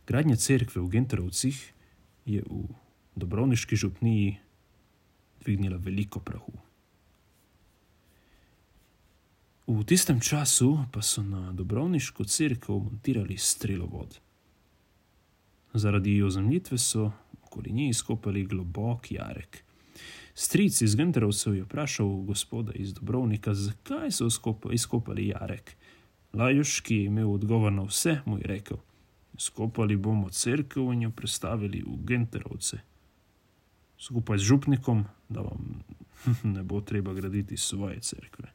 Gradnja cerkve v Genterovcih je v Dobrovniški župniji dvignila veliko prahu. V tistem času pa so na Dobrovniško cerkev montirali strelovod. Zaradi ozemljitve so okoli nje izkopali globok jarek. Stric iz Genterovcev je vprašal gospoda iz Dobrovnika, zakaj so izkopali jarek. Lajuš, ki je imel odgovor na vse, mu je rekel: izkopali bomo cerkev in jo prestavili v Genterovce. Skupaj z župnikom, da vam ne bo treba graditi svoje cerkve.